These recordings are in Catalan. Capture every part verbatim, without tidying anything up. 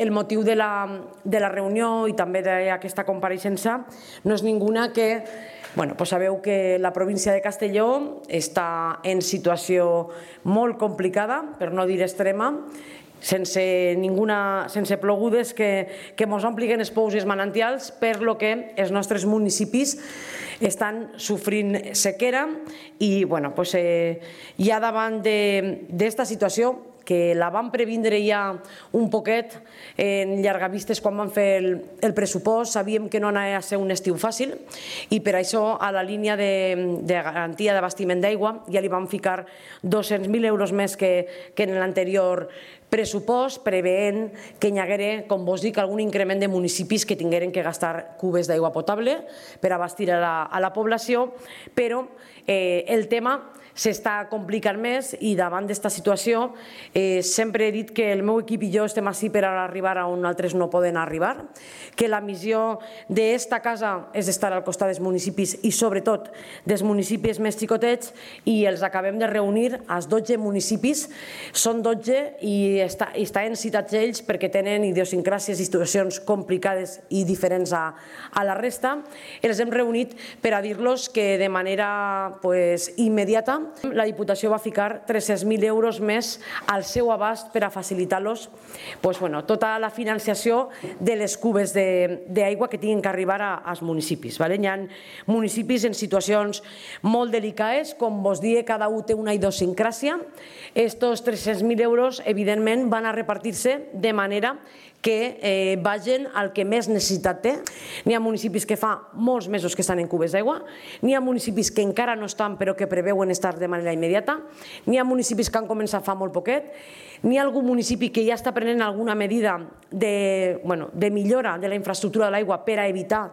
El motiu de la, de la reunió i també d'aquesta compareixença no és ninguna que Bueno, pues sabeu que la província de Castelló està en situació molt complicada, per no dir extrema, sense, ninguna, sense plogudes que, que mos ompliguin els pous i els manantials, per lo que els nostres municipis estan sofrint sequera i bueno, pues, eh, ja davant d'esta situació que la vam previndre ja un poquet en llargavistes quan vam fer el, el pressupost, sabíem que no anava a ser un estiu fàcil i per això a la línia de, de garantia d'abastiment d'aigua ja li vam ficar dos-cents mil euros més que, que en l'anterior pressupost, preveient que hi haguera, com vos dic, algun increment de municipis que tingueren que gastar cubes d'aigua potable per abastir a la, a la població, però eh, el tema s'està complicant més i davant d'esta situació eh, sempre he dit que el meu equip i jo estem ací per arribar a on altres no poden arribar, que la missió d'esta casa és estar al costat dels municipis i sobretot dels municipis més xicotets i els acabem de reunir als dotze municipis, són dotze i està, estan citats ells perquè tenen idiosincràsies i situacions complicades i diferents a, a la resta. Els hem reunit per a dir-los que de manera pues, immediata la Diputació va ficar tres-cents mil euros més al seu abast per a facilitar-los pues, bueno, tota la financiació de les cubes d'aigua que tinguin que arribar als municipis. Vale? Hi ha municipis en situacions molt delicades, com vos dic, cada un té una idiosincràsia. Estos tres-cents mil euros, evidentment, van a repartir-se de manera que eh, vagin al que més necessitat té. N'hi ha municipis que fa molts mesos que estan en cubes d'aigua, n'hi ha municipis que encara no estan però que preveuen estar de manera immediata, n'hi ha municipis que han començat fa molt poquet, n'hi ha algun municipi que ja està prenent alguna medida de, bueno, de millora de la infraestructura de l'aigua per a evitar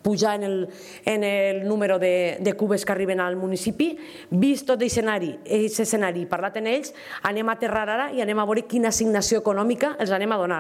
pujar en el, en el número de, de cubes que arriben al municipi. Vist tot l'escenari, aquest escenari, parlat en ells, anem a aterrar ara i anem a veure quina assignació econòmica els anem a donar.